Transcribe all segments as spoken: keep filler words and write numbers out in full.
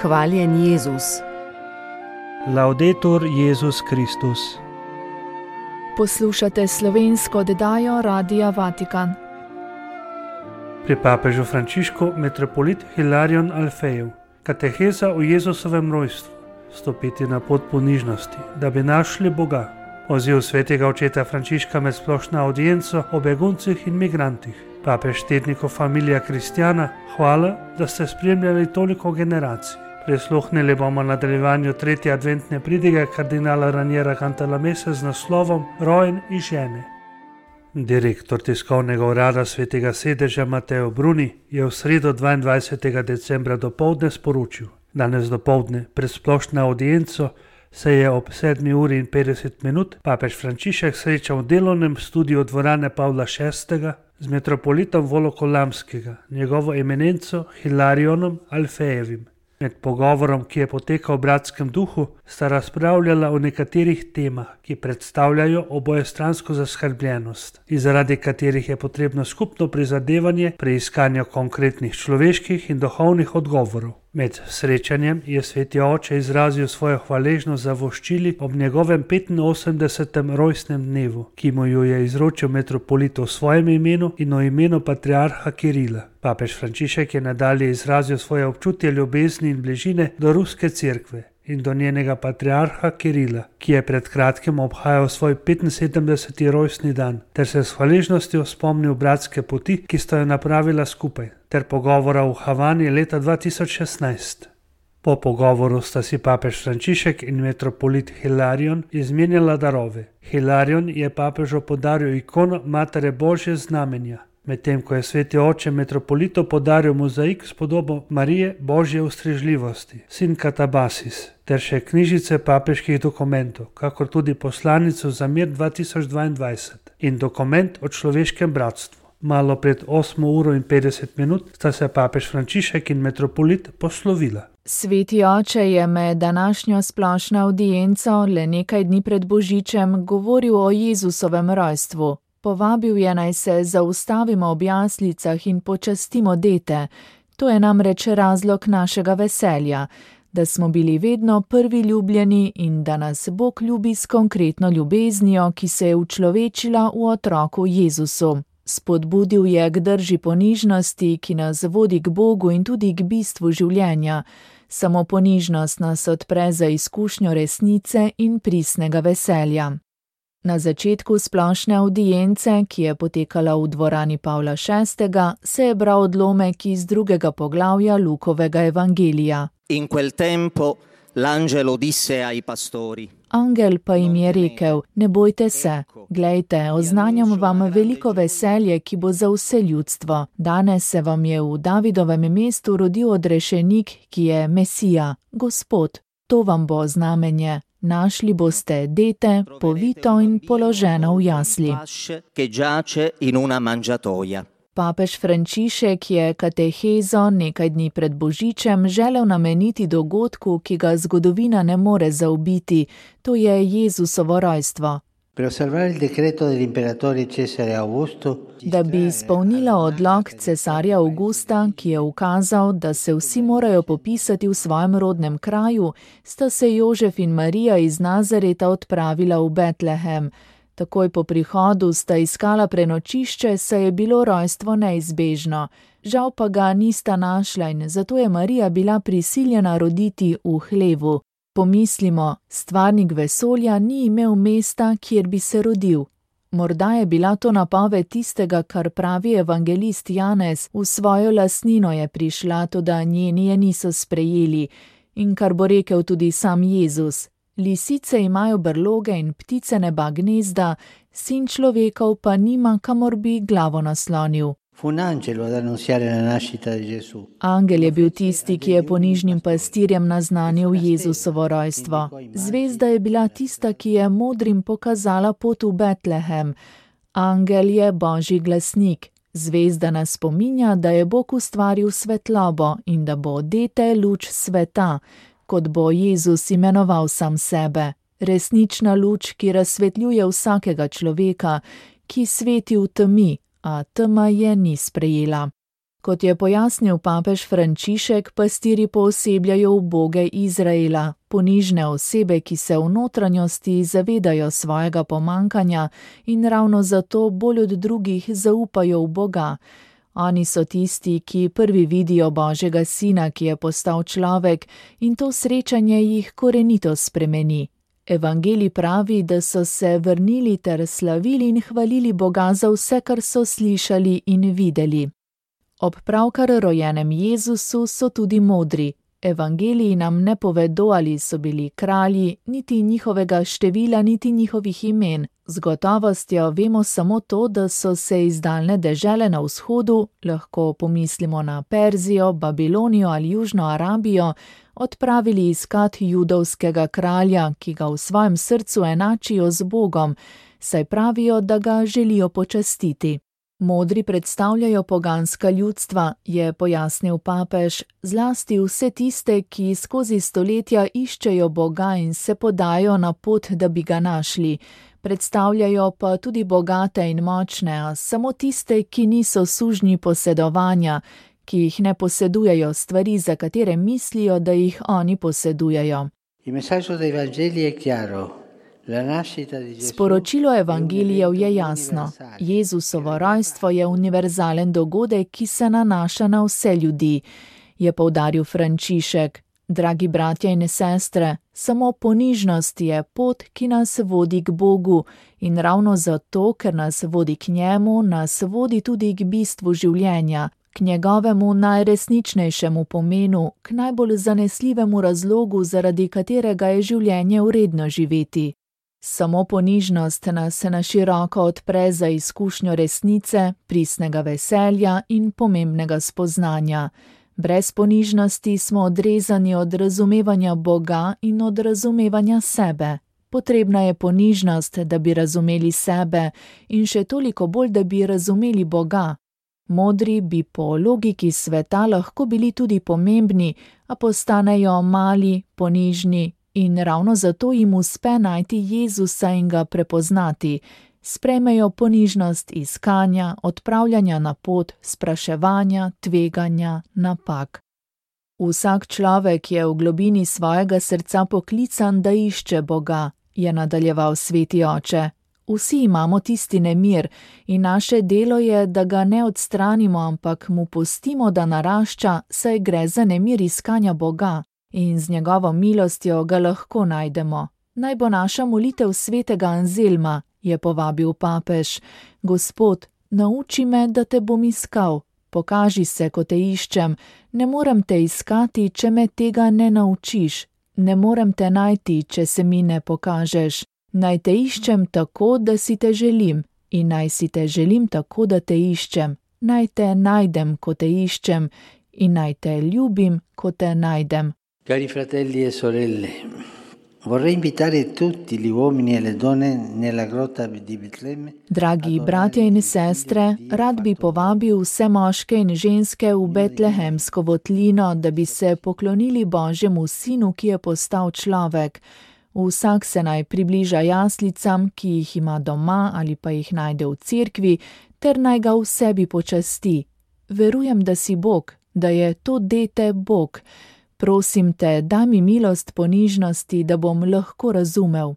Hvaljen Jezus. Laudetur Jezus Kristus. Poslušate slovensko oddajo Radia Vatikan. Pri papežu Frančišku metropolit Hilarion Alfejev. Kateheza o Jezusovem rojstvu. Stopiti na pot ponižnosti, da bi našli Boga. Poziv svetega očeta Frančiška med splošno audienco o beguncih in migrantih. Papež tedniku Familia Kristjana, hvala, da ste spremljali toliko generacij. Prisluhnili bomo nadaljevanju tretje adventne pridige kardinala Raniera Cantalamesse z naslovom Rojen iz žene. Direktor tiskovnega urada svetega sedeža Mateo Bruni je v sredo dvaindvajsetega decembra dopoldne sporočil. Danes dopoldne pred splošno audienco se je ob sedmi uri in petdeset minut papež Frančišek srečal v delovnem studiu dvorane Pavla šestega z metropolitom Volokolamskega, njegovo eminenco Hilarionom Alfejevim. Med pogovorom, ki je potekal v bratskem duhu, sta razpravljala o nekaterih temah, ki predstavljajo obojestransko zaskrbljenost in zaradi katerih je potrebno skupno prizadevanje pri iskanju konkretnih človeških in duhovnih odgovorov. Med srečanjem je sveti oče izrazil svojo hvaležnost za voščili ob njegovem petinosemdesetem rojstnem dnevu, ki mu jo je izročil metropolit v svojem imenu in v imenu patriarha Kirila. Papež Frančišek je nadalje izrazil svoje občutje ljubezni in bližine do ruske cerkve in do njenega patriarha Kirila, ki je pred kratkim obhajal svoj petinsedemdeseti rojstni dan, ter se s hvaležnostjo spomnil bratske poti, ki sta jo napravila skupaj, ter pogovora v Havani leta dva tisoč šestnajst. Po pogovoru sta si papež Frančišek in metropolit Hilarion izmenjala darove. Hilarion je papežu podaril ikono Matere Božje znamenja, medtem ko je sveti oče metropolitu podaril mozaik s podobo Marije Božje ustrežljivosti, sin Katabasis, ter še knjižice papeških dokumentov, kakor tudi poslanico za mir dva tisoč dvaindvajset in dokument o človeškem bratstvu. Malo pred osmo uro in petdeset minut sta se papež Frančišek in metropolit poslovila. Sveti oče je med današnjo splošno audienco le nekaj dni pred Božičem govoril o Jezusovem rojstvu. Povabil je, naj se zaustavimo ob jaslicah in počastimo dete. To je namreč razlog našega veselja, da smo bili vedno prvi ljubljeni in da nas Bog ljubi s konkretno ljubeznijo, ki se je učlovečila v otroku Jezusu. Spodbudil je k drži ponižnosti, ki nas vodi k Bogu in tudi k bistvu življenja. Samo ponižnost nas odpre za izkušnjo resnice in pristnega veselja. Na začetku splošne audience, ki je potekala v dvorani Pavla šestega, se je bral odlomek iz drugega poglavja Lukovega evangelija. In quel tempo l'angelo disse ai pastori. Angel pa jim je rekel, ne bojte se, glejte, oznanjam vam veliko veselje, ki bo za vse ljudstvo. Danes se vam je v Davidovem mestu rodil odrešenik, ki je Mesija, Gospod. To vam bo znamenje. Našli boste dete, povito in položeno v jasli. Papež Frančišek je katehezo nekaj dni pred Božičem želel nameniti dogodku, ki ga zgodovina ne more zaobiti, to je Jezusovo rojstvo. Da bi izpolnila odlok cesarja Avgusta, ki je ukazal, da se vsi morajo popisati v svojem rodnem kraju, sta se Jožef in Marija iz Nazareta odpravila v Betlehem. Takoj po prihodu sta iskala prenočišče, saj je bilo rojstvo neizbežno. Žal pa ga nista našla in zato je Marija bila prisiljena roditi v hlevu. Pomislimo, stvarnik vesolja ni imel mesta, kjer bi se rodil. Morda je bila to napoved tistega, kar pravi evangelist Janez, v svojo lastnino je prišla, toda njeni je niso sprejeli, in kar bo rekel tudi sam Jezus. Lisice imajo brloge in ptice neba gnezda, sin človekov pa nima, kamor bi glavo naslonil. Angel je bil tisti, ki je ponižnim pastirjem naznanil Jezusovo rojstvo. Zvezda je bila tista, ki je modrim pokazala pot v Betlehem. Angel je Božji glasnik. Zvezda nas spominja, da je Bog ustvaril svetlobo in da bo dete luč sveta, kot bo Jezus imenoval sam sebe. Resnična luč, ki razsvetljuje vsakega človeka, ki sveti v temi, a tema je ni sprejela. Kot je pojasnil papež Frančišek, pastirji poosebljajo uboge Izraela, ponižne osebe, ki se v notranjosti zavedajo svojega pomankanja in ravno zato bolj od drugih zaupajo v Boga. Oni so tisti, ki prvi vidijo Božjega sina, ki je postal človek, in to srečanje jih korenito spremeni. Evangelij pravi, da so se vrnili ter slavili in hvalili Boga za vse, kar so slišali in videli. Ob pravkar rojenem Jezusu so tudi modri. Evangeliji nam ne povedo, ali so bili kralji, niti njihovega števila, niti njihovih imen. Z gotovostjo vemo samo to, da so se iz daljne dežele na vzhodu, lahko pomislimo na Perzijo, Babilonijo ali Južno Arabijo, odpravili iskat judovskega kralja, ki ga v svojem srcu enačijo z Bogom, saj pravijo, da ga želijo počastiti. Modri predstavljajo poganska ljudstva, je pojasnil papež, zlasti vse tiste, ki skozi stoletja iščejo Boga in se podajo na pot, da bi ga našli. Predstavljajo pa tudi bogate in močne, a samo tiste, ki niso sužnji posedovanja, ki jih ne posedujejo stvari, za katere mislijo, da jih oni posedujejo. Sporočilo evangelijev je jasno. Jezusovo rojstvo je univerzalen dogodek, ki se nanaša na vse ljudi, je poudaril Frančišek. Dragi bratje in sestre, samo ponižnost je pot, ki nas vodi k Bogu, in ravno zato, ker nas vodi k njemu, nas vodi tudi k bistvu življenja, k njegovemu najresničnejšemu pomenu, k najbolj zanesljivemu razlogu, zaradi katerega je življenje vredno živeti. Samo ponižnost nas na široko odpre za izkušnjo resnice, pristnega veselja in pomembnega spoznanja. Brez ponižnosti smo odrezani od razumevanja Boga in od razumevanja sebe. Potrebna je ponižnost, da bi razumeli sebe, in še toliko bolj, da bi razumeli Boga. Modri bi po logiki sveta lahko bili tudi pomembni, a postanejo mali, ponižni, in ravno zato jim uspe najti Jezusa in ga prepoznati. Sprejmejo ponižnost iskanja, odpravljanja na pot, spraševanja, tveganja, napak. Vsak človek je v globini svojega srca poklican, da išče Boga, je nadaljeval sveti oče. Vsi imamo tisti nemir in naše delo je, da ga ne odstranimo, ampak mu pustimo, da narašča, saj gre za nemir iskanja Boga. In z njegovo milostjo ga lahko najdemo. Naj bo naša molitev svetega Anzelma, je povabil papež. Gospod, nauči me, da te bom iskal. Pokaži se, ko te iščem. Ne morem te iskati, če me tega ne naučiš. Ne morem te najti, če se mi ne pokažeš. Naj te iščem tako, da si te želim. In naj si te želim tako, da te iščem. Naj te najdem, ko te iščem. In naj te ljubim, ko te najdem. Cari fratelli e sorelle, vorrei invitare tutti gli uomini e le donne nella grotta di Betlemme. Dragi bratje in sestre, rad bi povabil vse moške in ženske v betlehemsko votlino, da bi se poklonili Božjemu sinu, ki je postal človek. Vsak se naj približa jaslicam, ki jih ima doma ali pa jih najde v cerkvi, ter naj ga v sebi počasti. Verujem, da si Bog, da je to dete Bog. Prosim te, daj mi milost ponižnosti, da bom lahko razumel.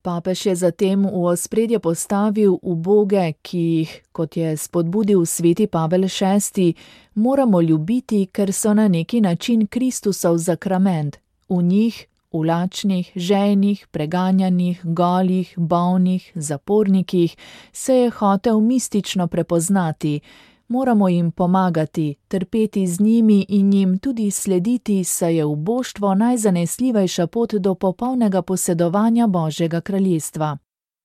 Papež je zatem v ospredje postavil uboge, ki jih, kot je spodbudil sveti Pavel šesti, moramo ljubiti, ker so na neki način Kristusov zakrament. V njih, v lačnih, žejnih, preganjanih, golih, bolnih, zapornikih, se je hotel mistično prepoznati. Moramo jim pomagati, trpeti z njimi in jim tudi slediti, saj je uboštvo najzanesljivejša pot do popolnega posedovanja Božjega kraljestva.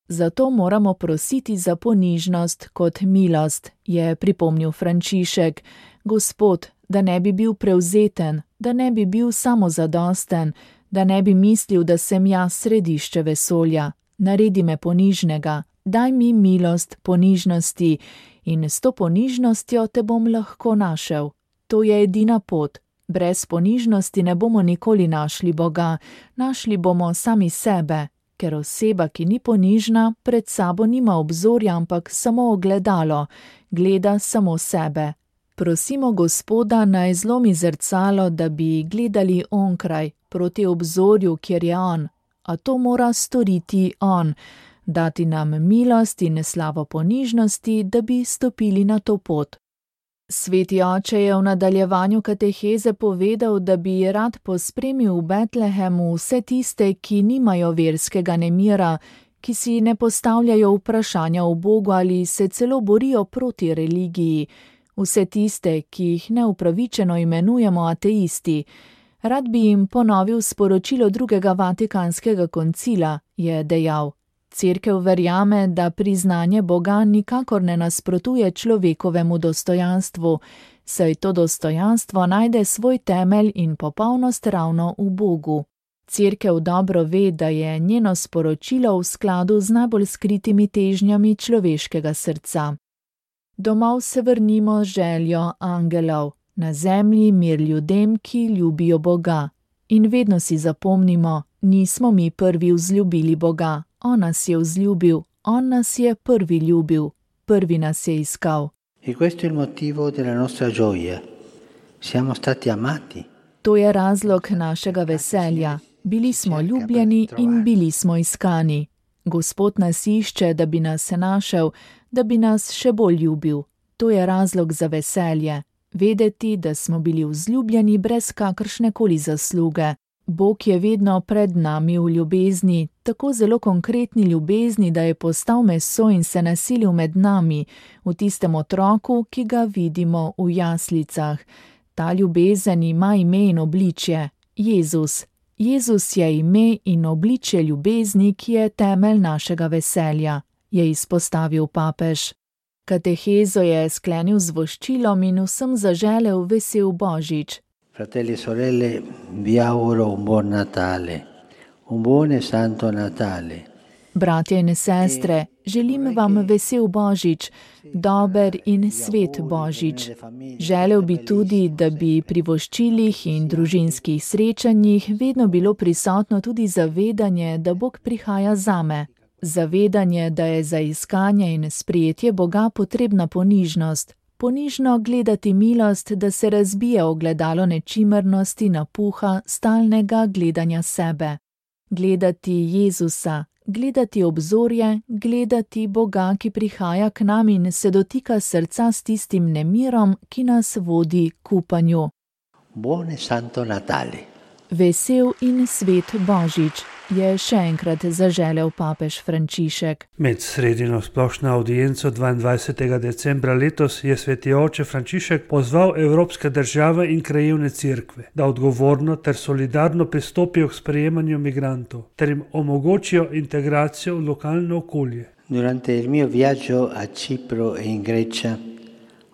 Zato moramo prositi za ponižnost kot milost, je pripomnil Frančišek. Gospod, da ne bi bil prevzeten, da ne bi bil samozadosten, da ne bi mislil, da sem jaz središče vesolja. Naredi me ponižnega, daj mi milost ponižnosti, in s to ponižnostjo te bom lahko našel. To je edina pot. Brez ponižnosti ne bomo nikoli našli Boga, našli bomo sami sebe, ker oseba, ki ni ponižna, pred sabo nima obzorja, ampak samo ogledalo, gleda samo sebe. Prosimo Gospoda, naj zlomi zrcalo, da bi gledali onkraj, proti obzorju, kjer je on, a to mora storiti on, dati nam milost in slavo ponižnosti, da bi stopili na to pot. Sveti oče je v nadaljevanju kateheze povedal, da bi rad pospremil v Betlehemu vse tiste, ki nimajo verskega nemira, ki si ne postavljajo vprašanja o Bogu ali se celo borijo proti religiji, vse tiste, ki jih neupravičeno imenujemo ateisti. Rad bi jim ponovil sporočilo drugega Vatikanskega koncila, je dejal. Cerkev verjame, da priznanje Boga nikakor ne nasprotuje človekovemu dostojanstvu, saj to dostojanstvo najde svoj temelj in popolnost ravno v Bogu. Cerkev dobro ve, da je njeno sporočilo v skladu z najbolj skritimi težnjami človeškega srca. Domov se vrnimo z željo angelov, na zemlji mir ljudem, ki ljubijo Boga. In vedno si zapomnimo, nismo mi prvi vzljubili Boga, on nas je vzljubil, on nas je prvi ljubil, prvi nas je iskal. E questo è il motivo della nostra gioia. Siamo stati amati. To je razlog našega veselja. Bili smo ljubljeni in bili smo iskani. Gospod nas išče, da bi nas našel, da bi nas še bolj ljubil. To je razlog za veselje. Vedeti, da smo bili vzljubljeni brez kakršnekoli zasluge. Bog je vedno pred nami v ljubezni, tako zelo konkretni ljubezni, da je postal meso in se naselil med nami, v tistem otroku, ki ga vidimo v jaslicah. Ta ljubezen ima ime in obličje, Jezus. Jezus je ime in obličje ljubezni, ki je temelj našega veselja, je izpostavil papež. Katehezo je sklenil z voščilom in vsem zaželel vesel Božič. Fratelli e sorelle, vi auguro un buon Natale, un buon e santo Natale. Bratje in sestre, želim vam vesel Božič, dober in svet Božič. Želel bi tudi, da bi pri voščilih in družinskih srečanjih vedno bilo prisotno tudi zavedanje, da Bog prihaja zame. Zavedanje, da je za iskanje in sprejetje Boga potrebna ponižnost. Ponižno gledati milost, da se razbije ogledalo nečimrnosti, napuha, stalnega gledanja sebe. Gledati Jezusa, gledati obzorje, gledati Boga, ki prihaja k nam in se dotika srca s tistim nemirom, ki nas vodi k upanju. Buon e santo Natale. Vesel in svet Božič, je še enkrat zaželel papež Frančišek. Med sredino splošno audienco dvaindvajsetega decembra letos je sveti oče Frančišek pozval evropske države in krajevne cerkve, da odgovorno ter solidarno pristopijo k sprejemanju migrantov, ter jim omogočijo integracijo v lokalno okolje. Durante il mio viaggio a Cipro e in Grecia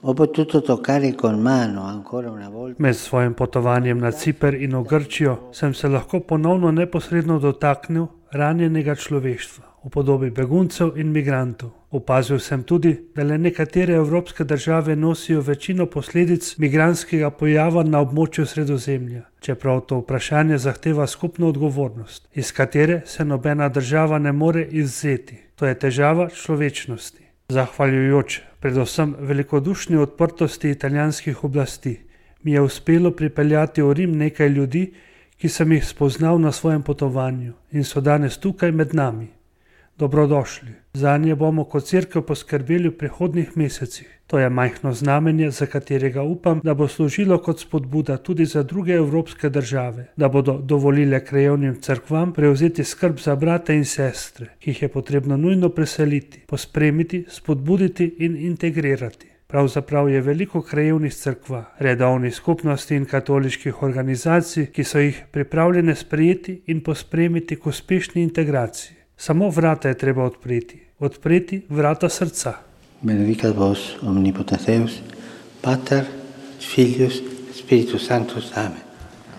ho potuto toccare con mano ancora una volta. Med svojim potovanjem na Ciper in v Grčijo sem se lahko ponovno neposredno dotaknil ranjenega človeštva v podobi beguncev in migrantov. Opazil sem tudi, da le nekatere evropske države nosijo večino posledic migrantskega pojava na območju Sredozemlja, čeprav to vprašanje zahteva skupno odgovornost, iz katere se nobena država ne more izvzeti. To je težava človečnosti. Zahvaljujoč predvsem velikodušni odprtosti italijanskih oblasti mi je uspelo pripeljati v Rim nekaj ljudi, ki sem jih spoznal na svojem potovanju in so danes tukaj med nami. Dobrodošli. Zanje bomo kot cerkev poskrbeli v prihodnjih mesecih. To je majhno znamenje, za katerega upam, da bo služilo kot spodbuda tudi za druge evropske države, da bodo dovolile krajevnim cerkvam prevzeti skrb za brate in sestre, ki jih je potrebno nujno preseliti, pospremiti, spodbuditi in integrirati. Pravzaprav je veliko krajevnih cerkva, redovnih skupnosti in katoliških organizacij, ki so jih pripravljene sprejeti in pospremiti k uspešni integraciji. Samo vrata je treba odpreti, odpreti vrata srca. Benedicat vos omnipotens Deus, Pater, Filius, Spiritus Sanctus. Amen.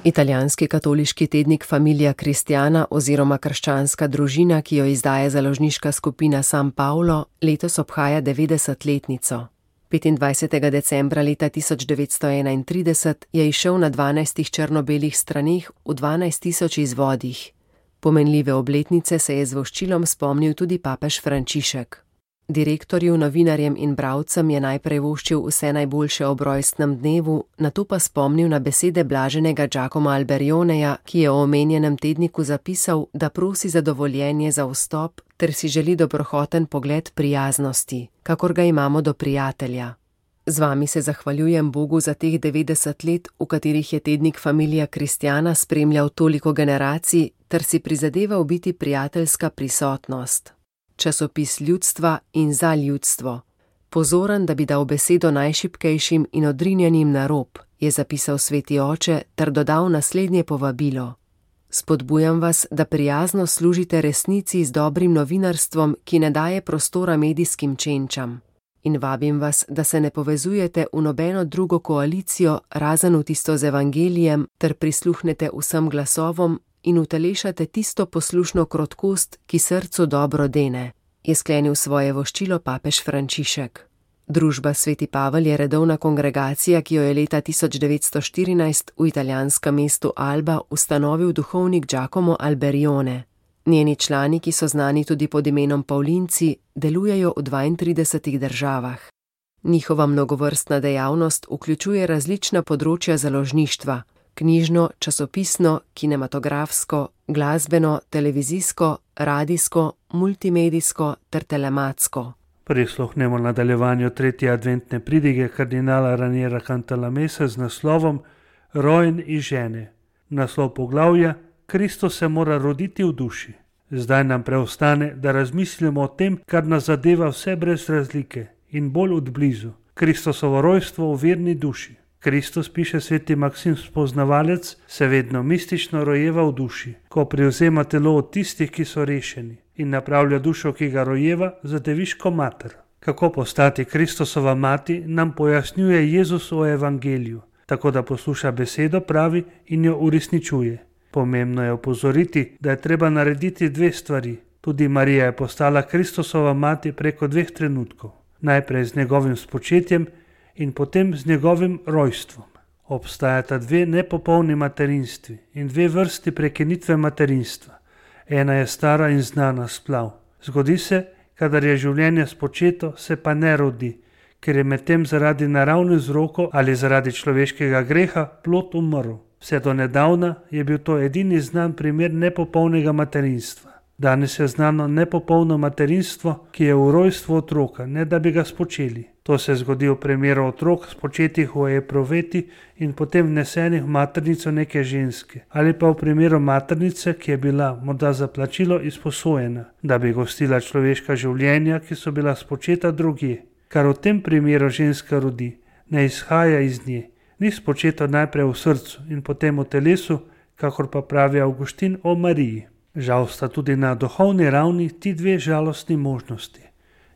Italijanski katoliški tednik Familia Cristiana oziroma krščanska družina, ki jo izdaja založniška skupina San Paolo, letos obhaja devetdesetletnico. petindvajsetega decembra leta tisoč devetsto enaintrideset je izšel na dvanajstih črno-belih straneh v dvanajst tisoč izvodih. Pomenljive obletnice se je z voščilom spomnil tudi papež Frančišek. Direktorju, novinarjem in bralcem je najprej voščil vse najboljše ob rojstnem dnevu, nato pa spomnil na besede blaženega Giacoma Alberioneja, ki je v omenjenem tedniku zapisal, da prosi za dovoljenje za vstop ter si želi dobrohoten pogled prijaznosti, kakor ga imamo do prijatelja. Z vami se zahvaljujem Bogu za teh devetdeset let, v katerih je tednik Familia Cristiana spremljal toliko generacij ter si prizadeval biti prijateljska prisotnost. Časopis ljudstva in za ljudstvo. Pozoren, da bi dal besedo najšibkejšim in odrinjenim na rob, je zapisal sveti oče ter dodal naslednje povabilo. Spodbujam vas, da prijazno služite resnici z dobrim novinarstvom, ki ne daje prostora medijskim čenčam. In vabim vas, da se ne povezujete v nobeno drugo koalicijo, razen v tisto z evangelijem, ter prisluhnete vsem glasovom in utelešate tisto poslušno krotkost, ki srcu dobro dene, je sklenil svoje voščilo papež Frančišek. Družba Sveti Pavel je redovna kongregacija, ki jo je leta tisoč devetsto štirinajst v italijanskem mestu Alba ustanovil duhovnik Giacomo Alberione. Njeni člani, ki so znani tudi pod imenom Pavlinci, delujejo v dvaintridesetih državah. Njihova mnogovrstna dejavnost vključuje različna področja založništva, knjižno, časopisno, kinematografsko, glasbeno, televizijsko, radijsko, multimedijsko ter telematsko. Prisluhnemo nadaljevanju tretje adventne pridige kardinala Raniera Cantalamessa z naslovom Rojen iz žene. Naslov poglavja Kristus se mora roditi v duši. Zdaj nam preostane, da razmislimo o tem, kar nas zadeva vse brez razlike in bolj od blizu. Kristusovo rojstvo v verni duši. Kristus, piše sveti Maksim Spoznavalec, se vedno mistično rojeva v duši, ko privzema telo od tistih, ki so rešeni, in napravlja dušo, ki ga rojeva, za deviško mater. Kako postati Kristusova mati, nam pojasnjuje Jezus v evangeliju, tako da posluša besedo, pravi in jo uresničuje. Pomembno je opozoriti, da je treba narediti dve stvari. Tudi Marija je postala Kristusova mati preko dveh trenutkov. Najprej z njegovim spočetjem in potem z njegovim rojstvom. Obstajata dve nepopolni materinstvi in dve vrsti prekinitve materinstva. Ena je stara in znana splav. Zgodi se, kadar je življenje spočeto, se pa ne rodi, ker je medtem zaradi naravnih vzrokov ali zaradi človeškega greha plod umrl. Vse do nedavna je bil to edini znan primer nepopolnega materinstva. Danes je znano nepopolno materinstvo, ki je v rojstvu otroka, ne da bi ga spočeli. To se zgodi v primeru otrok spočetih v epruveti in potem vnesenih v maternico neke ženske, ali pa v primeru maternice, ki je bila morda za plačilo izposojena, da bi gostila človeška življenja, ki so bila spočeta drugje. Kar v tem primeru ženska rodi, ne izhaja iz nje, ni spočeto najprej v srcu in potem v telesu, kakor pa pravi Avguštin o Mariji. Žal sta tudi na duhovni ravni ti dve žalostni možnosti.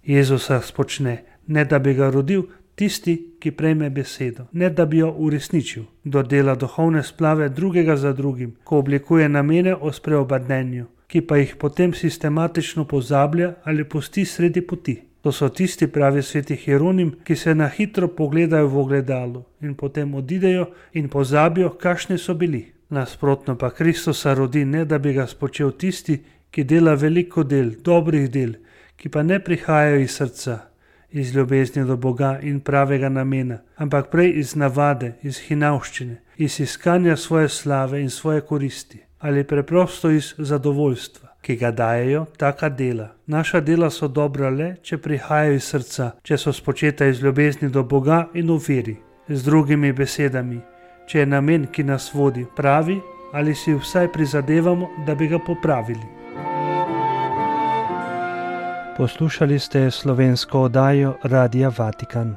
Jezusa spočne, ne da bi ga rodil tisti, ki prejme besedo, ne da bi jo uresničil. Kdo dela duhovne splave drugega za drugim, ko oblikuje namene o spreobrnenju, ki pa jih potem sistematično pozablja ali pusti sredi poti. To so tisti, pravi sveti Hieronim, ki se na hitro pogledajo v ogledalo in potem odidejo in pozabijo, kakšni so bili. Nasprotno pa Kristusa rodi, ne da bi ga spočel tisti, ki dela veliko del, dobrih del, ki pa ne prihajajo iz srca, iz ljubezni do Boga in pravega namena, ampak prej iz navade, iz hinavščine, iz iskanja svoje slave in svoje koristi, ali preprosto iz zadovoljstva, ki ga dajejo taka dela. Naša dela so dobra le, če prihajajo iz srca, če so spočeta iz ljubezni do Boga in v veri. Z drugimi besedami, če je namen, ki nas vodi, pravi, ali si vsaj prizadevamo, da bi ga popravili. Poslušali ste slovensko oddajo Radia Vatikan.